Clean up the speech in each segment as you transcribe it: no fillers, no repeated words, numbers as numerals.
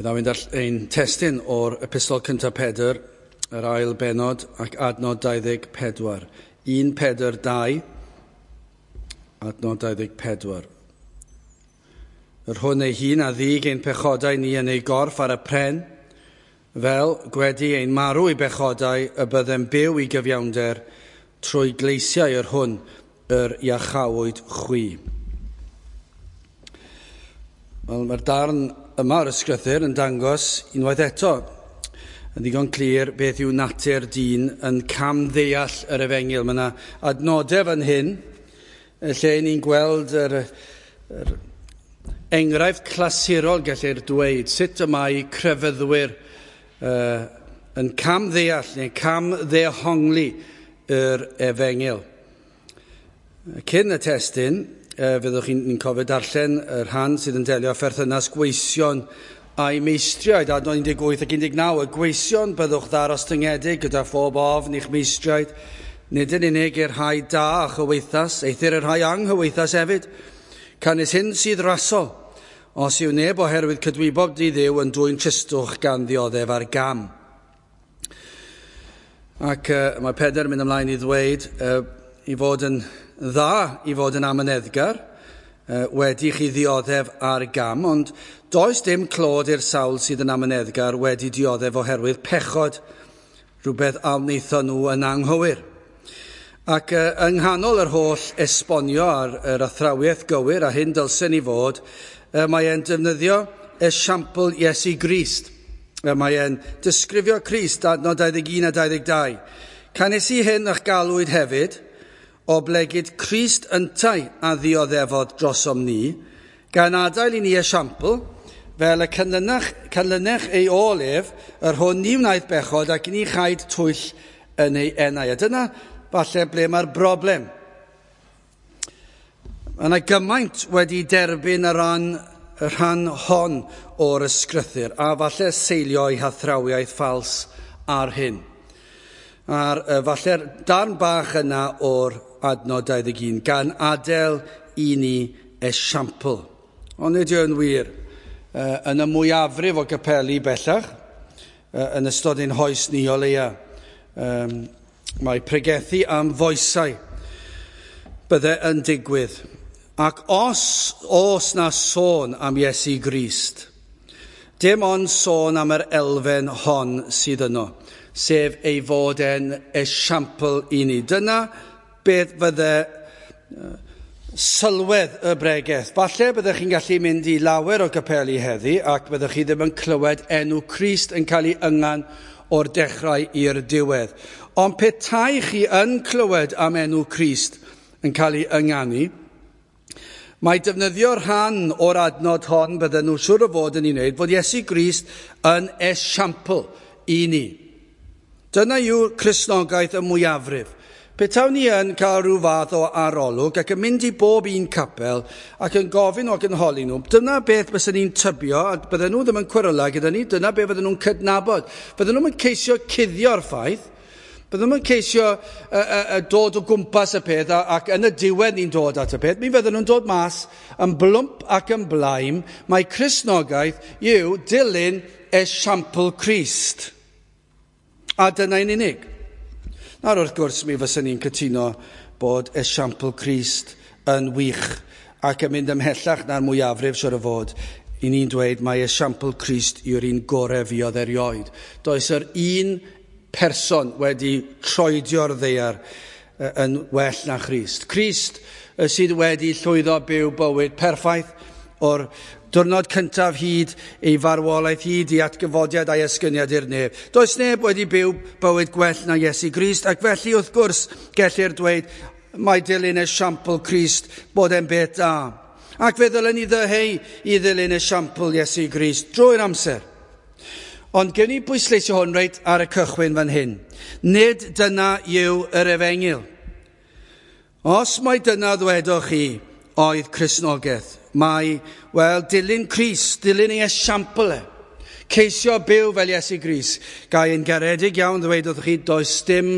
Fe ddaw'n ein testun o'r epistol cyntaf Pedr, yr ail benod ac adnod 24. 1 Pedr 2, adnod 24. Yr hwn ei hun a ddig ein pechodau ni yn ei gorff ar y pren, fel gwedi ein marw i bechodau y byddem byw i gyfiawnder trwy gleisiau yr hwn yr iachawyd chwi. Wel, mae'r darn yma o'r ysgrythur yn dangos unwaith eto yn ddigon clir beth yw natur dyn yn camddeall yr efengyl. Mae yna adnodau fan hyn lle ni'n gweld yr enghraifft clasurol, gellir dweud, sut y mae crefyddwyr yn camddeall neu camddehongli yr efengyl. Cyn y testun, fyddwch chi'n cofio darllen y rhan sydd yn delio â pherthynas gweision a'i meistriaid, adnod 18 ac 19. Y gweision byddwch ddarostyngedig gyda phob ofn i'ch meistriaid, nid yn unig i'r rhai da a chyweithas, eithr i'r rhai anghyweithas hefyd. Canys hyn sydd rasol, os yw neb oherwydd cydwybod di Dduw yn dwyn tristwch gan ddioddef ar gam. Ac mae Pedr yn mynd ymlaen i ddweud i fod yn dda i fod yn amyneddgar, wedi chi ddioddef ar gam, ond does dim clod i'r sawl sydd yn amyneddgar wedi dioddef oherwydd pechod, rhywbeth a wnaethon nhw yn anghywir. Ac yng nghanol yr holl esbonio ar yr athrawiaeth gywir a hyn dylsen ni fod, mae e'n defnyddio esiampl Iesu Grist. Mae e'n disgrifio Crist, adnod 21 a 22. Canys i hyn a'ch galwyd hefyd, oblegid Crist yntau a ddioddefodd drosom ni, gan adael i ni esiampl, fel y canlynech ei ôl ef, yr hwn ni wnaeth bechod ac ni chaed twyll yn ei enau. A dyna falle ble mae'r broblem. Mae yna gymaint wedi derbyn y rhan hon o'r ysgrythur, a falle seilio ei hathrawiaeth ffals ar hyn. A'r falle'r darn bach yna o'r adnod 21, gan adael i ni esiampl. Ond nid yw'n wir. Yn y mwyafrif o gapeli bellach, yn ystod ein hoes ni o leia, mae pregethu am foesau bydde yn digwydd. Ac os oes na sôn am Iesu Grist, dim ond sôn am yr elfen hon sydd yno, sef ei fod e'n esiampl i ni. Dyna beth fydde sylwedd y bregeth. Falle byddech chi'n gallu mynd i lawer o gapeli heddi ac byddech chi ddim yn clywed enw Crist yn cael ei yngan o'r dechrau i'r diwedd. Ond petai chi yn clywed am enw Crist yn cael ei ynganu, mae defnyddio rhan o'r adnod hon bydden nhw siŵr o fod yn ei wneud fod Iesu Grist yn esiampl i ni. Dyna yw Cristnogaeth y mwyafrif. Petawn ni yn cael rhyw fath o arolwg ac yn mynd i bob un capel ac yn gofyn ac yn holi nhw, dyna beth byswn ni'n tybio, a bydden nhw ddim yn cweryla gyda ni, dyna beth fydden nhw'n cydnabod. Bydden nhw'n ceisio cuddio'r ffaith, bydden nhw'n ceisio dod o gwmpas y peth ac yn y diwedd ni'n dod at y peth, mi fydden nhw'n dod mas yn blwmp ac yn blaen. Mae Cristnogaeth yw dilyn esiampl Crist. A dyna'n unig. Nawr wrth gwrs mi fyswn ni'n cytuno bod esiampl Crist yn wych ac yn mynd ymhellach na'r mwyafrif siŵr o fod. I ni'n dweud mae esiampl Crist yw'r un gorau fuodd erioed. Does yr un person wedi troedio'r ddaear yn well na Christ. Crist sydd wedi llwyddo byw bywyd perffaith o'r diwrnod cyntaf hyd ei farwolaeth hyd i atgyfodiad a'i esgyniad i'r nef. Does neb wedi byw bywyd gwell na Iesu Grist, ac felly wrth gwrs gellir dweud mae dilyn esiampl Crist bod e'n beth da. Ac fe ddylen ni ddyheu i ddilyn esiampl Iesu Grist drwy'r amser. Ond gewn ni bwysleisio hwn reit ar y cychwyn fan hyn. Nid dyna yw yr efengyl. Os mai dyna ddwedoch chi oedd Cristnogaeth, mae, wel, dilyn Crist, dilyn ei esiampl e, ceisio byw fel Iesu Grist. Gai yn garedig iawn ddweud wrthych chi, does dim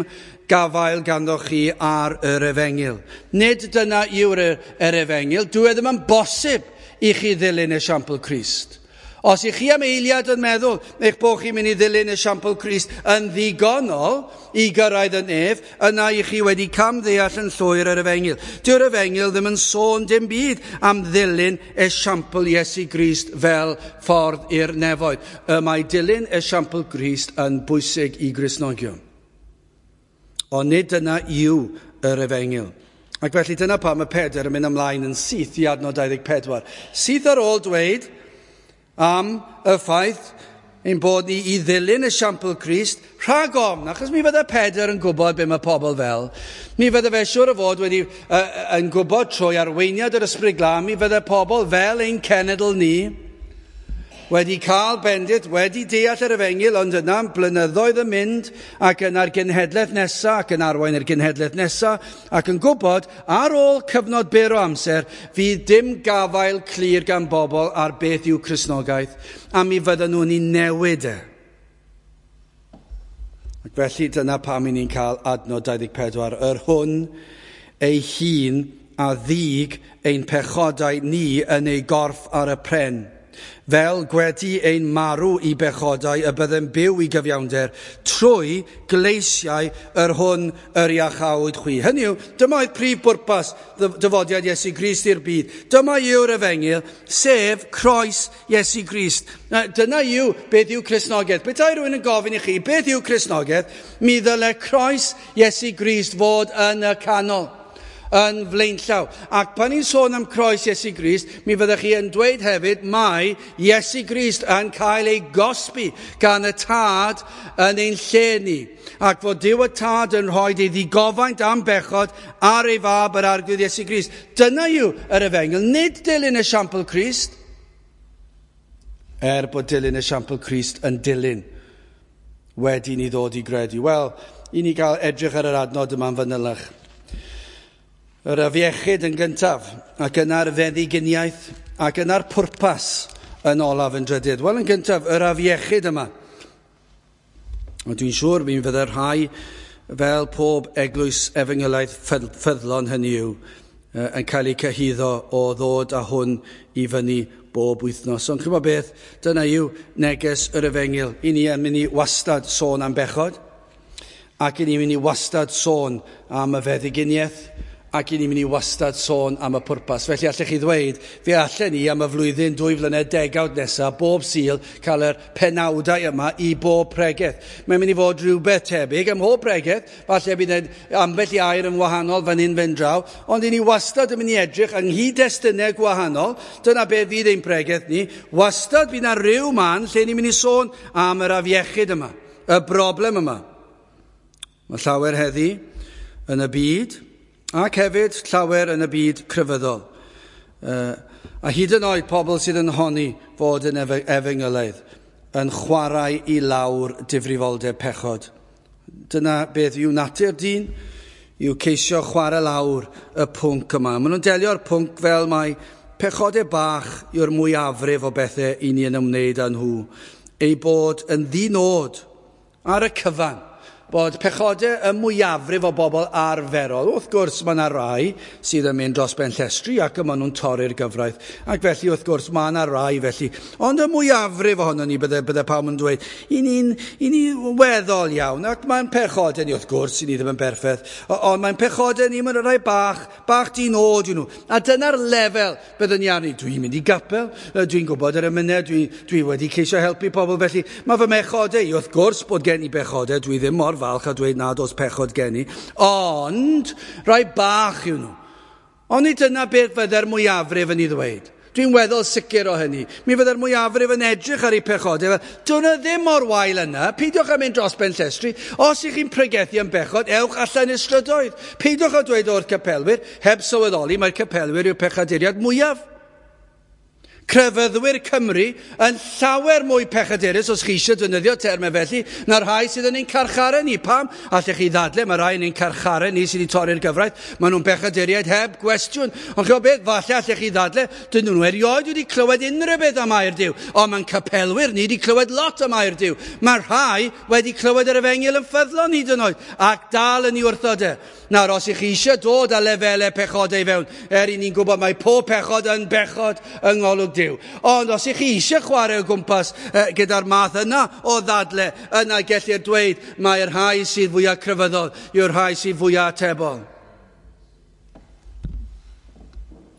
gafael ganddoch chi ar yr efengyl. Nid dyna yw'r yr efengyl. Dyw e ddim yn bosib i chi ddilyn esiampl Crist. Os ych chi am eiliad yn meddwl eich bod chi'n mynd i ddilyn esiampl Crist yn ddigonol i gyrraedd y nef, yna ych chi wedi camddeall yn llwyr yr efengyl. Dyw'r efengyl ddim yn sôn dim byd am ddilyn esiampl Iesu Grist fel ffordd i'r nefoedd. Y mae dilyn esiampl Grist yn bwysig i Gristnogion. Ond nid dyna yw yr efengyl. Ac felly dyna pam mae Pedr yn mynd ymlaen yn syth i adnod 24. Syth ar ôl dweud am y ffaith ein bod ni i ddilyn esiampl Crist rhag ofn, achos mi fydde Pedr yn gwybod be mae pobl fel. Mi fydde fe siŵr o fod wedi yn gwybod trwy arweiniad yr Ysbryd Glân, mi fydde pobl fel ein cenedl ni wedi cael bendith, wedi deall yr efengyl, ond yna blynyddoedd yn mynd ac yna'r genhedlaeth nesaf ac yn arwain yr genhedlaeth nesaf ac yn gwybod ar ôl cyfnod byr o amser fydd dim gafael clir gan bobl ar beth yw Cristnogaeth a mi fydden nhw'n ei newid e. Ac felly dyna pam i ni'n cael adnod 24, yr hwn ei hun a ddig ein pechodau ni yn ei gorff ar y pren. Fel gwedi ein marw i bechodau y byddem byw i gyfiawnder trwy gleisiau yr hwn yr iachawyd chwi. Hynny yw, dyma oedd prif bwrpas dyfodiad Iesu Grist i'r byd. Dyma yw'r efengyl, sef croes Iesu Grist. Dyna yw beth yw Cristnogaeth. Petai rhywun yn gofyn i chi, beth yw Cristnogaeth? Mi ddyle croes Iesu Grist fod yn y canol, yn flaenllaw. Ac pan ni'n sôn am croes Iesu Grist, mi fyddech chi yn dweud hefyd mai Iesu Grist yn cael ei gosbi gan y Tad yn ein lle ni. Ac fod Duw y Tad yn rhoi ei ddigofaint am bechod ar ei fab yr Arglwydd Iesu Grist. Dyna yw yr efengyl, nid dilyn esiampl Crist. Er bod dilyn esiampl Crist yn dilyn wedi ni ddod i gredu. Wel, i ni gael edrych ar yr adnod yma'n fanylach. Yr afiechyd yn gyntaf, ac yna'r feddyginiaeth, ac yna'r pwrpas yn olaf yn drydydd. Wel, yn gyntaf, yr afiechyd yma. Ond dwi'n siŵr mi fydde rhai fel pob eglwys efengylaidd ffyddlon hynny yw, yn cael eu cyhuddo o ddod â hwn i fyny bob wythnos. Ond ch'mod beth, dyna yw neges yr efengyl. I ni yn mynd i wastad sôn am bechod, ac i ni'n mynd i wastad sôn am y feddyginiaeth, ac i ni'n mynd i wastad sôn am y pwrpas. Felly allech chi ddweud, fe allen ni am y flwyddyn 2 flynedd degawd nesaf, bob Sul, cael yr penawdau yma i bob pregeth. Mae'n mynd i fod rhywbeth tebyg ym mhob pregeth, falle bydd ambell i air yn wahanol fan hyn fan draw, ond i ni wastad yn mynd i edrych yng nghyd-destunau gwahanol, dyna be fydd ein pregeth ni, wastad bydd yna ryw man lle ni'n mynd i sôn am yr afiechyd yma, y broblem yma. Mae llawer heddi yn y byd, ac hefyd llawer yn y byd crefyddol. A hyd yn oed pobl sydd yn honni fod yn efengylaidd, yn chwarae i lawr difrifoldeb pechod. Dyna beth yw natur dyn, yw ceisio chwarae lawr y pwnc yma. Maen nhw'n delio'r pwnc fel mai pechodau bach yw'r mwyafrif o bethau i ni yn ymwneud â nhw. Ei bod yn ddinod ar y cyfan, bod pechodau y mwyafrif o bobl arferol. Wrth gwrs, mae yna rai sydd yn mynd dros ben llestri ac y maen nhw'n torri'r gyfraith. Ac felly, wrth gwrs, mae yna rai felly. Ond y mwyafrif ohono ni, bydde pawb yn dweud, i ni weddol iawn. Ac mae'n pechodau ni, wrth gwrs, i ni ddim yn berffaith. Ond mae'n pechodau ni, mae'n rhai bach di-nod yw nhw. A dyna'r lefel byddwn ni arni. Dwi'n mynd i gapel, dwi'n gwybod yr emynau, dwi wedi ceisio helpu pobl felly. Mae fy mechodau i, wrth gwrs, bod gen i bechodau, dwi ddim mor falch a dweud nad oes pechod gen i, ond rhai bach yw nhw. Ond nid dyna beth fydde'r mwyafrif yn ei ddweud. Dwi'n weddol sicr o hynny. Mi fydde'r mwyafrif yn edrych ar ei pechodau. Dyna ddim mor wael yna. Peidiwch â mynd dros ben llestri. Os ych chi'n pregethu am bechod, ewch allan i'r strydoedd. Peidiwch â dweud o'r capelwyr, heb sylweddoli mae'r capelwyr yw'r pechaduriad mwyaf. Crefyddwyr Cymru yn llawer mwy pechadurus, os chi eisiau defnyddio termau felly, na'r rhai sydd yn ein carcharau ni. Pam? Allech chi ddadle, mae rhai yn ein carcharau ni sydd wedi torri'r gyfraith. Maen nhw'n pechaduriaid heb gwestiwn. Ond chi'n beth, falle allech chi ddadle, dyn nhw erioed wedi clywed unrhyw beth am air Duw. Ond mae'n capelwyr ni wedi clywed lot am air Duw. Mae rhai wedi clywed yr efengyl yn ffyddlon hyd yn oed, ac dal yn ei wrthod e. Nawr, os ych chi eisiau dod â lefelau pechodau i fewn, er i ni'n gwybod mae pob pechod yn bechod yng ngolwg gwybod Duw. Ond os ych chi eisiau chwarae o gwmpas gyda'r math yna o ddadle, yna gellir dweud mae'r rhai sydd fwyaf crefyddol yw'r rhai sydd fwyaf atebol.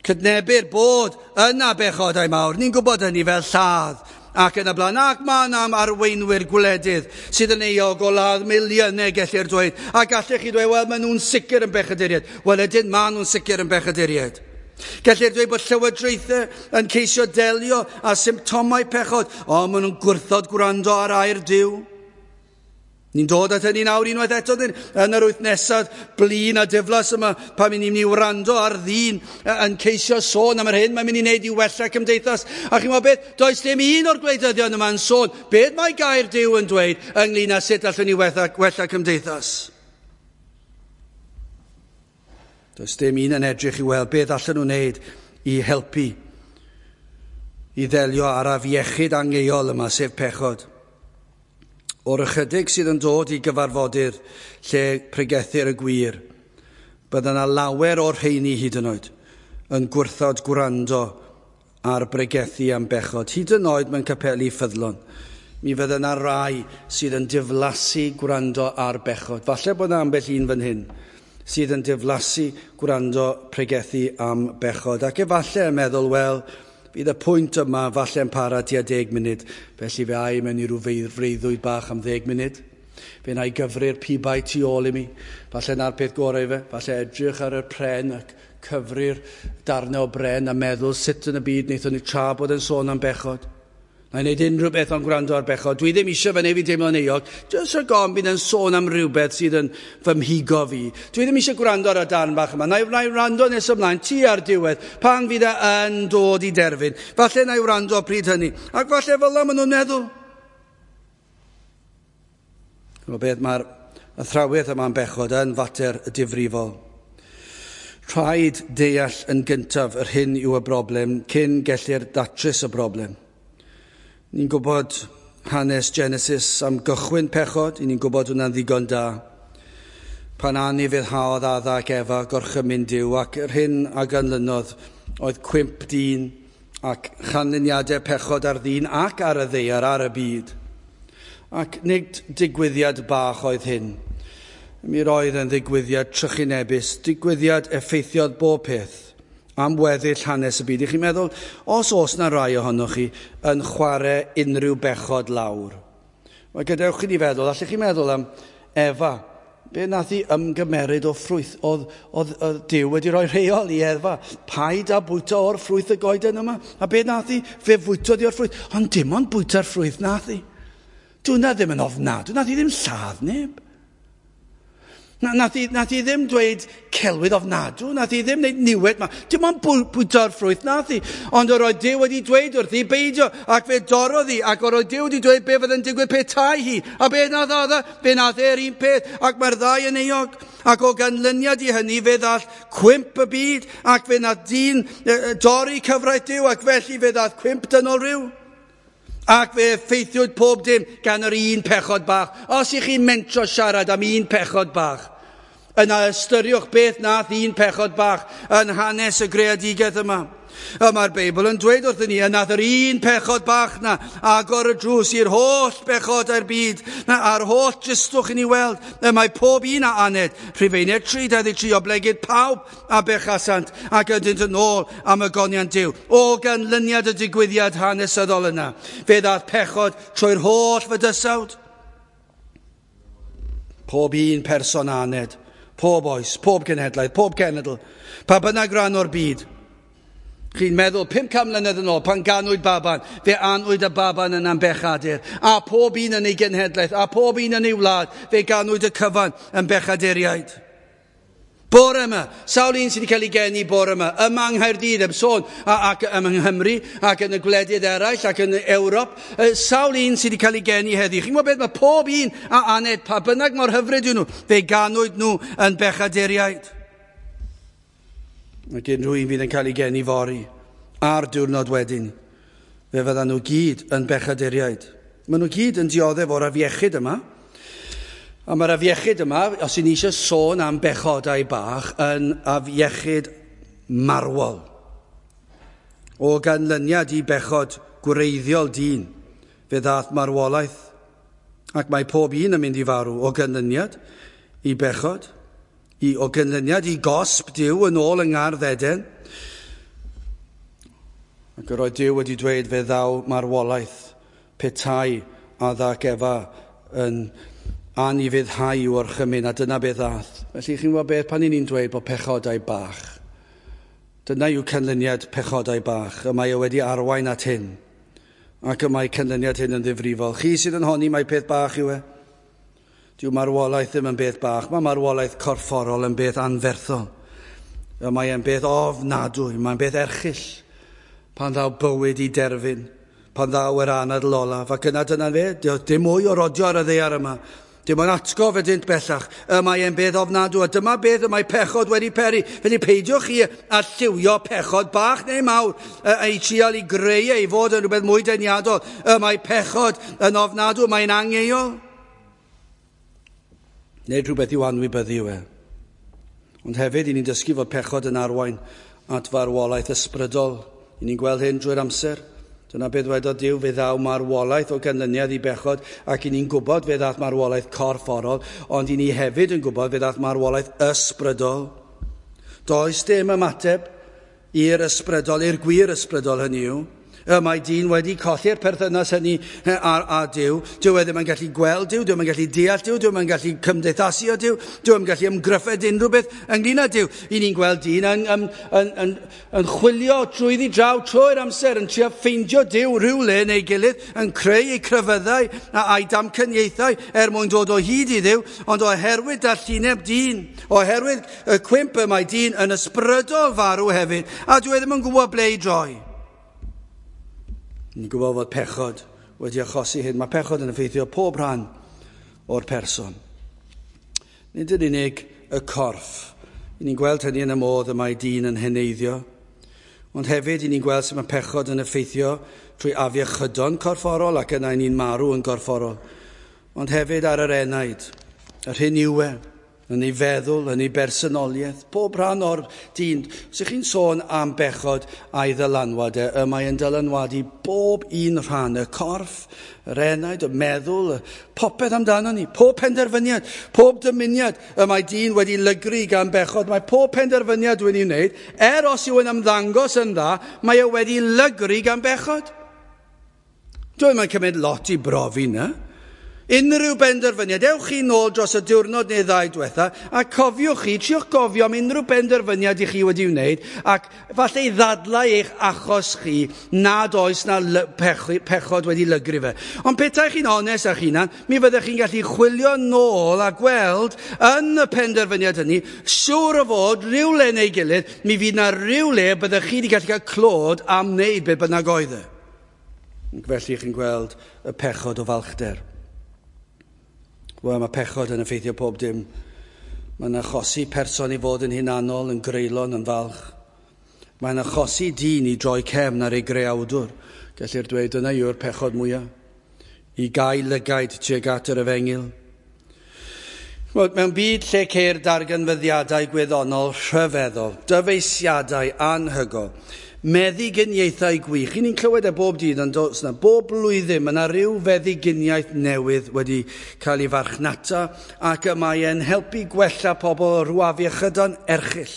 Cydnebir bod yna bechodau mawr. Ni'n gwybod hynny fel lladd ac yn y blaen. Ac mae yna am arweinwyr gwledydd sydd yn euog o ladd miliynau, gellir dweud. A gallech chi dweud, wel, maen nhw'n sicr yn bechaduriaid. Wel, ydyn, maen nhw'n sicr yn bechaduriaid. Gellir dweud bod llywodraethau yn ceisio delio â symptomau pechod, ond maen nhw'n gwrthod gwrando ar air Duw. Ni'n dod at hynny nawr unwaith eto yn yr wythnosau blin a diflas yma pan ni'n mynd i wrando ar ddyn yn ceisio sôn am yr hyn mae'n mynd i wneud i wella cymdeithas. A chi'n gwybod beth? Does dim un o'r gwleidyddion yma'n sôn beth mae gair Duw yn dweud ynglyn â sut allwn ni wella cymdeithas. Does dim un yn edrych i weld beth allan nhw'n wneud i helpu i ddelio â'r afiechyd angheuol yma, sef pechod. O'r ychydig sydd yn dod i gyfarfodydd lle pregethir y gwir, bydda yna lawer o'r rheini hyd yn oed yn gwrthod gwrando ar bregethu am bechod, hyd yn oed mewn capeli ffyddlon. Mi fydda yna rai sydd yn diflasu gwrando ar bechod. Falle bod yna ambell un fan hyn sydd yn diflasu gwrando pregethu am bechod. Ac efallai yn meddwl, wel, fydd y pwynt yma falle yn para tua 10 munud, felly fe ai mewn i ryw freuddwyd bach am 10 munud. Fe wna i gyfri'r pibau tu ôl i mi. Falle na'r peth gorau fe. Falle edrych ar y pren ac cyfri'r darnau o bren a meddwl sut yn y byd wnaethon ni tra bod yn sôn am bechod. Na i wneud unrhyw beth ond gwrando ar bechod. Dwi ddim eisiau fe neu fi deimlo'n euog. Jyst rhag ofn bydd yn sôn am rhywbeth sydd yn fy mhigo fi. Dwi ddim eisiau gwrando ar y darn bach yma. Na i wrando nes ymlaen, tu ar diwedd, pan fydd e yn dod i derfyn. Falle na i wrando pryd hynny. Ac falle fel yna maen nhw'n meddwl. O beth mae'r athrawiaeth yma'n bechod yn fater difrifol. Rhaid deall yn gyntaf yr hyn yw y broblem cyn gellir datrys y broblem. Ni'n gwybod hanes Genesis am gychwyn pechod, ni'n gwybod hwnna'n ddigon da. Pan anufuddhaodd Adda ac Efa gorchymyn Duw, ac yr hyn a ganlynodd oedd cwymp dyn ac chanlyniadau pechod ar ddyn ac ar y ddaear, ar y byd. Ac nid digwyddiad bach oedd hyn. Mi roedd yn ddigwyddiad trychinebus, digwyddiad effeithiodd bob peth am weddill hanes y byd. I chi'n meddwl, os oes na rai ohonoch chi yn chwarae unrhyw bechod lawr, wel, gadewch i ni feddwl, allech chi meddwl am Efa, be nath hi ymgymeryd o ffrwyth? Oedd Duw wedi rhoi rheol i Efa, paid â bwyta o'r ffrwyth y goeden yma. A be nath hi? Fe fwytodd hi o'r ffrwyth. Ond dim ond bwyta'r ffrwyth nath hi. Dw'na ddim yn ofnadwy, nath hi ddim lladd neb. Nath hi ddim dweud celwydd ofnadw, nath hi ddim wneud niwed ma. Dim ond bwyta'r ffrwyth nath hi. Ond yr oedd Duw wedi dweud wrthi beidio, ac fe dorrodd hi, ac yr oedd Duw wedi dweud be fydd yn digwydd petai hi. A be nath Adda? Fe nath e'r un peth, ac mae'r ddau yn euog. Ac o ganlyniad i hynny fe ddath cwymp y byd, ac fe nath dyn dorri cyfraith Duw, ac felly fe ddath cwymp dynol rhyw. Ac fe effeithiwyd pob dim gan yr un pechod bach. Os ych chi'n mentro siarad am un pechod bach, yna ystyriwch beth nath un pechod bach yn hanes y greadigaeth yma. A mae'r Beibl yn dweud wrthyn ni, nath yr un pechod bach na agor y drws i'r holl bechodau'r byd, a'r holl dristwch i ni weld. Y mae pob un a aned, Rhufeiniaid 3:23, oblegid pawb a bechasant ac ydynt yn ôl am ogoniant Duw. O ganlyniad y digwyddiad hanesyddol yna, fe ddath pechod trwy'r holl fydysawd. Pob un person a aned, pob oes, pob genhedlaeth, pob cenedl, pa bynnag ran o'r byd. Chi'n meddwl, 500 mlynedd yn ôl, pan ganwyd baban, fe anwyd y baban yna'n bechadur. A pob un yn ei genhedlaeth, a pob un yn ei wlad, fe ganwyd y cyfan yn bechaduriaid. Bore yma, sawl un sydd wedi cael ei geni bore yma, yma yng Nghaerdydd, am sôn, ac yma yng Nghymru, ac yn y gwledydd eraill, ac yn Ewrop, sawl un sydd wedi cael ei geni heddi. Chi'n gwybod beth, mae pob un a aned, pa bynnag mor hyfryd yw nhw, fe ganwyd nhw yn bechaduriaid. Ac unrhyw un fydd yn cael ei geni fory, a'r diwrnod wedyn, fe fyddan nhw gyd yn bechaduriaid. Maen nhw gyd yn dioddef o'r afiechyd yma. A mae'r afiechyd yma, os y'n ni eisiau sôn am bechodau bach, yn afiechyd marwol. O ganlyniad i bechod gwreiddiol dyn, fe ddath marwolaeth, ac mae pob un yn mynd i farw o ganlyniad i bechod, o ganlyniad i gosb Duw yn ôl yng Ngardd Eden. Ac yr oedd Duw wedi dweud fe ddaw marwolaeth petai Adda ac Efa yn anufuddhau i'w orchymyn, a dyna beth ddath. Felly chi'n gwybod beth, pan 'y ni'n dweud bod pechodau bach, dyna yw canlyniad pechodau bach, y mae o wedi arwain at hyn, ac y mae canlyniad hyn yn ddifrifol. Chi sydd yn honni mai peth bach yw e. Dyw marwolaeth ddim yn beth bach, mae marwolaeth corfforol yn beth anferthol. Y mae e'n beth ofnadwy, mae'n beth erchyll pan ddaw bywyd i derfyn, pan ddaw yr anadl olaf, ac yna dyna fe, dim mwy o rodio ar y ddaear yma. Dim ond atgof ydynt bellach. Y mae e'n beth ofnadwy, a dyma beth y mae pechod wedi peri. Felly peidiwch chi â lliwio pechod bach neu mawr, ei trial i greu ei fod yn rhywbeth mwy deniadol. Y mae pechod yn ofnadwy, mae'n angeuol. Nid rhywbeth i'w anwybyddu yw e. Ond hefyd, i ni'n dysgu fod pechod yn arwain at farwolaeth ysbrydol. I ni'n gweld hyn drwy'r amser. Dyna beth dwedodd Duw, fe ddaw marwolaeth o ganlyniad i bechod, ac i ni'n gwybod fe ddath marwolaeth corfforol, ond i ni hefyd yn gwybod fe ddath marwolaeth ysbrydol. Does dim ymateb i'r ysbrydol, i'r gwir ysbrydol hynny yw. Y mae dyn wedi colli'r perthynas hynny â Duw. Dyw e ddim yn gallu gweld Duw, dyw e ddim yn gallu deall Duw, dyw e ddim yn gallu cymdeithasu â Duw, dyw e ddim yn gallu ymgryffed unrhyw beth ynglyn â Duw. I ni'n gweld dyn yn, yn, yn, yn, yn chwilio trwyddi draw trwy'r amser, yn trio ffeindio Duw rhywle neu gilydd, yn creu ei crefyddau a'i damcaniaethau er mwyn dod o hyd i Dduw, ond oherwydd dallineb dyn, oherwydd y cwymp y mae dyn yn ysbrydol farw hefyd, a dyw e ddim yn gwybod ble i droi. Ni'n gwybod fod pechod wedi achosi hyn. Mae pechod yn effeithio pob rhan o'r person. Nid yn unig y corff. I ni'n gweld hynny yn y modd y mae dyn yn heneiddio. Ond hefyd, i ni'n gweld sut mae pechod yn effeithio trwy afiechydon corfforol ac yna i ni'n marw yn gorfforol. Ond hefyd ar yr enaid, yr hyn yw e, yn ei feddwl, yn ei bersonoliaeth, pob rhan o'r dyn. Os ych chi'n sôn am bechod a'i ddylanwad e, y mae yn dylanwadu bob un rhan, y corff, yr enaid, y meddwl, popeth amdano ni, pob penderfyniad, pob dymuniad y mae dyn wedi lygru gan bechod, mae pob penderfyniad wedi'i wneud, er os yw yn ymddangos yn dda, mae e wedi lygru gan bechod. Dwi'n mae'n cymryd lot i brofi na. Unrhyw benderfyniad, ewch chi nôl dros y diwrnod neu ddau diwetha, a cofiwch chi, triwch gofio am unrhyw benderfyniad i chi wedi wneud, ac falle i ddadlau eich achos chi nad oes na pechod wedi lygru fe. Ond petai chi'n onest â'ch hunan, mi fyddech chi'n gallu chwilio nôl a gweld yn y penderfyniad hynny, siŵr o fod rhywle neu gilydd, mi fydd na rhywle byddech chi wedi gallu cael clod am wneud beth bynnag oedd e. Ac felly chi'n gweld y pechod o falchder. Wel, mae pechod yn effeithio pob dim. Mae'n achosi person i fod yn hunanol, yn greulon, yn falch. Mae'n achosi dyn i droi cefn ar ei greawdwr. Gellir dweud dyna yw'r pechod mwyaf. I gau lygaid tuag at yr efengyl. Wel, mewn byd lle ceir darganfyddiadau gwyddonol rhyfeddol, dyfeisiadau anhygoel, meddyginiaethau gwych. I ni'n clywed e bob dydd yn does na. Bob blwyddyn mae yna rhyw feddyginiaeth newydd wedi cael ei farchnata ac y mae e'n helpu gwella pobl o rhyw afiechydon erchyll.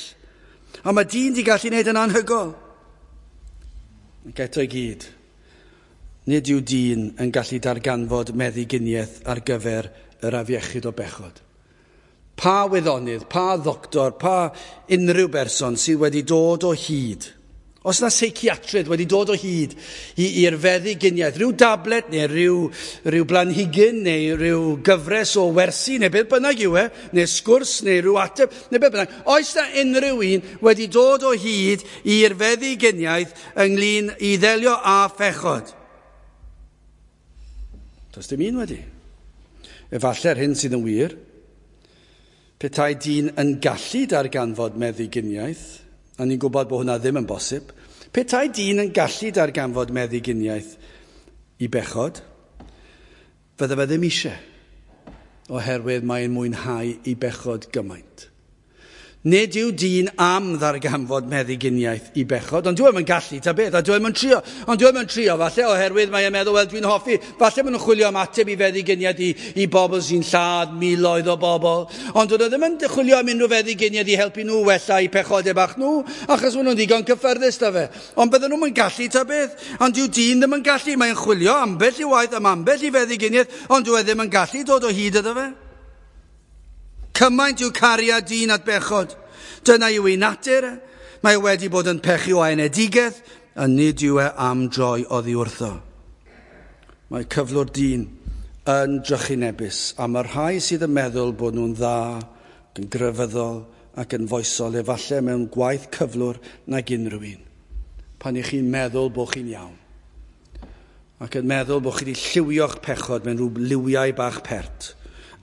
A mae dyn di gallu gwneud yn anhygoel. Ac eto i gyd, nid yw dyn yn gallu darganfod meddyginiaeth ar gyfer yr afiechyd o bechod. Pa wyddonydd, pa ddoctor, pa unrhyw berson sydd wedi dod o hyd, os na seiciatrydd wedi dod o hyd i'r feddyginiaeth, rhyw dablet neu rhyw blanhigyn neu rhyw gyfres o wersi neu beth bynnag yw e, neu sgwrs neu rhyw ateb neu beth bynnag, oes na unrhyw un wedi dod o hyd i'r feddyginiaeth ynglyn i ddelio â phechod? Does dim un wedi. Efallai'r hyn sydd yn wir, petai dyn yn gallu darganfod meddyginiaeth, a ni'n gwybod bod hwnna ddim yn bosib, petai dyn yn gallu darganfod meddyginiaeth i bechod, fydde fe ddim eisiau, oherwydd mae'n mwynhau i bechod gymaint. Nid yw dyn am ddarganfod meddyginiaeth i bechod, ond dyw e'm yn gallu ta beth, a dyw e'm yn trio. Ond dyw e'm yn trio, falle, oherwydd mae e'n meddwl, wel, dwi'n hoffi. Falle maen nhw'n chwilio am ateb i feddyginiaeth i bobl sy'n lladd miloedd o bobl. Ond dyn nhw ddim yn chwilio am unrhyw feddyginiaeth i helpu nhw wella eu pechodau bach nhw, achos maen nhw'n ddigon cyffyrddus da fe. Ond bydden nhw'n gallu ta beth. Ond dyw dyn ddim yn gallu. Mae'n chwilio ambell i waith am ambell i feddyginiaeth, ond dyw e ddim yn gallu dod o hyd iddo fe. Cymaint yw cariad dyn at bechod. Dyna yw ei natur. Mae e wedi bod yn pechu o enedigaeth, a nid yw e am droi oddi wrtho. Mae cyflwr dyn yn drychinebus, a mae'r rhai sydd yn meddwl bod nhw'n dda, yn grefyddol ac yn foesol, efallai mewn gwaith cyflwr nag unrhyw un. Pan ych chi'n meddwl bod chi'n iawn, ac yn meddwl bod chi wedi lliwio'ch pechod mewn rhyw liwiau bach pert,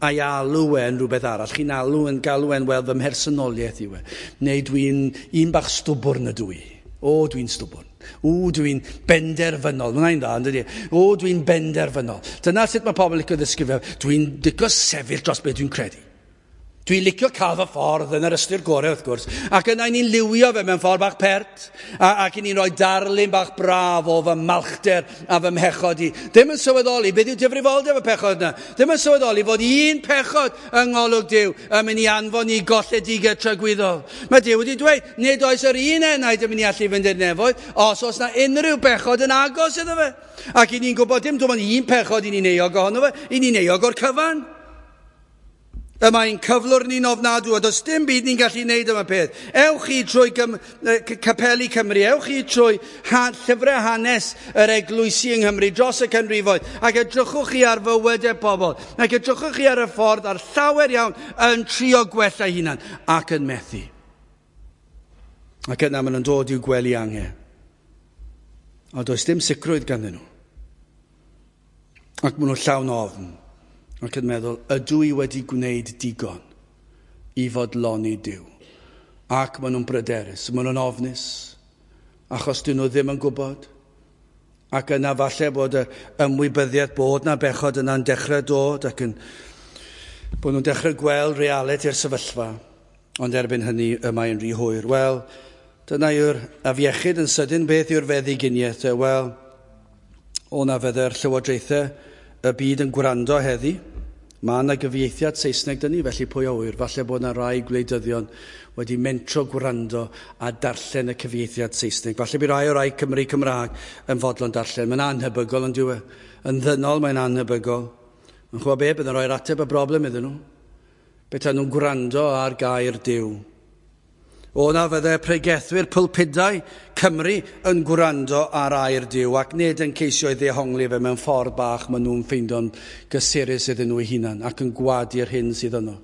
a'i alw e'n rhywbeth arall. Chi'n alw yn galw e'n, wel, fy mhersonoliaeth yw e. Neu dwi'n un bach stwbwrn ydw i. O, dwi'n stwbwrn. O, dwi'n benderfynol. Mae'n dda, yn dydi? O, dwi'n benderfynol. Dyna sut mae pobl licio ddisgrifio. Dwi'n licio sefyll dros beth dwi'n credu. Dwi'n licio cael fy ffordd yn yr ystyr gorau, wrth gwrs. Ac yna ni'n liwio fe mewn ffordd bach pert. Ac ni'n rhoi darlun bach braf o fy malchder a fy mhechod i. Ddim yn sylweddoli beth yw difrifoldeb y pechod yna. Ddim yn sylweddoli fod un pechod yng ngolwg Duw yn mynd i anfon i golledigaeth tragwyddol. Mae Duw wedi dweud, nid oes yr un enaid yn mynd i allu fynd i'r nefoedd os oes na unrhyw bechod yn agos iddo fe. Ac i ni'n gwybod dim ond un pechod i ni'n euog ohono fe, i ni'n euog o'r cyfan. Y mae'n cyflwr ni'n ofnadw, a does dim byd ni'n gallu wneud am y peth. Ewch chi trwy capeli Cymru, ewch chi trwy llyfrau hanes yr eglwysi yng Nghymru dros y canrifoedd, ac edrychwch chi ar fywydau pobl, ac edrychwch chi ar y ffordd a'r llawer iawn yn trio gwella hunan, ac yn methu. Ac yna maen nhw'n dod i'w gwely angen. A does dim sicrwydd ganddyn nhw. Ac maen nhw llawn ofn. Ac yn meddwl, ydw i wedi gwneud digon i fodloni Duw? Ac maen nhw'n bryderus, maen nhw'n ofnus, achos dyn nhw ddim yn gwybod. Ac yna falle bod y ymwybyddiaeth bod na bechod yna'n dechrau dod ac yn bod nhw'n dechrau gweld realiti'r sefyllfa. Ond erbyn hynny y mae'n rhy hwyr. Wel, dyna yw'r afiechyd yn sydyn. Beth yw'r feddyginiaeth? Wel, o na fydde'r llywodraethau y byd yn gwrando heddi. Mae yna gyfieithiad Saesneg dyn ni, felly pwy a ŵyr, falle bod yna rai gwleidyddion wedi mentro gwrando a darllen y cyfieithiad Saesneg. Falle bydd rai o rai Cymru Cymraeg yn fodlon darllen. Mae'n anhebygol yn dyw e. Yn ddynol mae'n anhebygol. Yn chwa be, bydd yn rhoi'r ateb y broblem iddyn nhw. Beth nhw'n gwrando ar gair Duw. O na fydde pregethwyr pulpudau Cymru yn gwrando ar air Duw ac nid yn ceisio ei ddehongli fe mewn ffordd bach maen nhw'n ffeindio'n gysurus iddyn nhw eu hunan ac yn gwadu'r hyn sydd yno.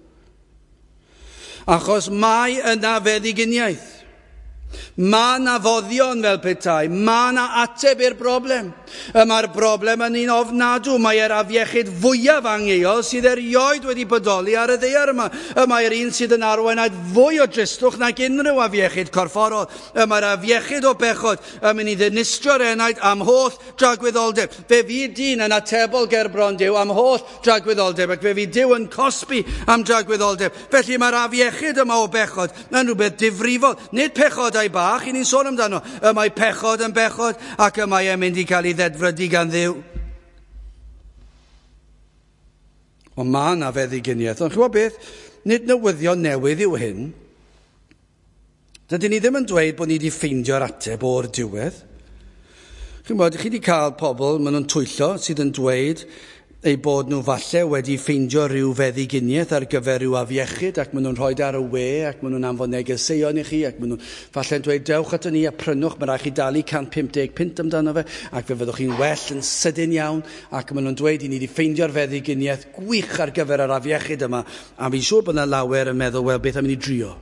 Achos mae yna feddyginiaeth. Mae yna foddion fel petai, mae yna ateb i'r broblem. Y mae'r broblem yn un ofnadw, mae'r afiechyd fwyaf angheuol sydd erioed wedi bodoli ar y ddaear yma. Y mae'r un sydd yn arwain at fwy o dristwch nag unrhyw afiechyd corfforol. Y mae'r afiechyd o bechod yn mynd i ddinistrio'r enaid am holl dragwyddoldeb. Fe fydd dyn yn atebol ger bron Duw am holl dragwyddoldeb ac fe fydd Duw yn cosbi am dragwyddoldeb. Felly mae'r afiechyd yma o bechod yn rhywbeth difrifol, nid pechodau bach, i ni'n sôn amdano. Y mae pechod yn bechod ac y mae e'n mynd i cael ei ddedfrydu gan Dduw. Ond mae yna feddyginiaeth. Ond chi'n gwybod beth? Nid newyddion newydd yw hyn. Dydyn ni ddim yn dweud bod ni wedi ffeindio'r ateb o'r diwedd. Chi'n gwybod, chi wedi cael pobl, maen nhw'n twyllo, sydd yn dweud eu bod nhw falle wedi ffeindio rhyw feddyginiaeth ar gyfer rhyw afiechyd ac maen nhw'n rhoi ar y we ac maen nhw'n anfon negeseuon i chi ac maen nhw'n falle'n dweud dewch ato ni a prynwch, mae rhaid chi dalu 150 punt amdano fe ac fe fyddwch chi'n well yn sydyn iawn ac maen nhw'n dweud i ni wedi ffeindio'r feddyginiaeth gwych ar gyfer yr afiechyd yma a fi'n siŵr bod yna lawer yn meddwl, wel, beth am i ni drio?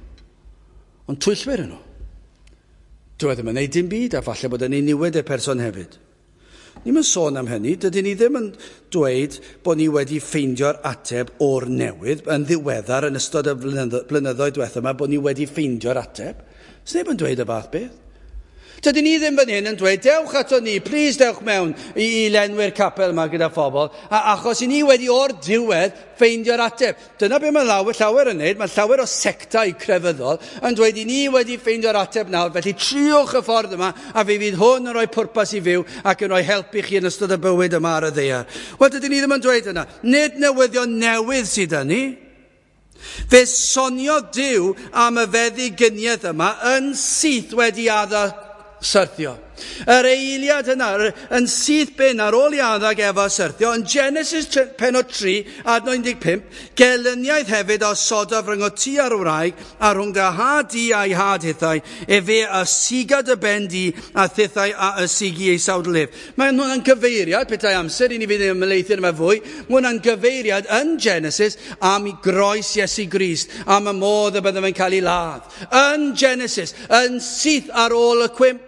Ond twyllwyr nhw. Dyw e ddim yn neud dim byd a falle bod yn ei niwed y person hefyd. Ni'm yn sôn am hynny, dydyn ni ddim yn dweud bod ni wedi ffeindio'r ateb o'r newydd yn ddiweddar yn ystod y blynyddoedd diwethaf yma bod ni wedi ffeindio'r ateb. Sneb yn dweud y fath beth. Dydyn ni ddim fan hyn yn dweud, dewch ato ni, please dewch mewn i lenwi'r capel yma gyda phobl, achos i ni wedi o'r diwedd ffeindio'r ateb. Dyna be mae llawer yn neud, mae llawer o sectau crefyddol yn dweud i ni wedi ffeindio'r ateb nawr, felly triwch y ffordd yma a fe fydd hwn yn rhoi pwrpas i fyw ac yn rhoi help i chi yn ystod y bywyd yma ar y ddaear. Wel, dydyn ni ddim yn dweud yna. Nid newyddion newydd sydd â ni. Fe soniodd Duw am y feddigyniaeth yma yn syth wedi Adda syrthio. Yr eiliad yna, yn syth bin ar ôl i Adda ac Efa syrthio, yn Genesis penod 3, adnod 15, gelyniaeth hefyd a osodaf rhyngot ti a'r wraig, a rhwng dy had di a'i had hithau, efe a siga dy ben di, a thithau a ysigi ei sawdl ef. Mae hwnna'n gyfeiriad, petai amser i ni fydd yn ymhelaethu yma fwy, mae hwnna'n gyfeiriad yn Genesis am i groes Iesu Grist, am y modd y bydde fe'n cael ei ladd. Yn Genesis, yn syth ar ôl y cwymp,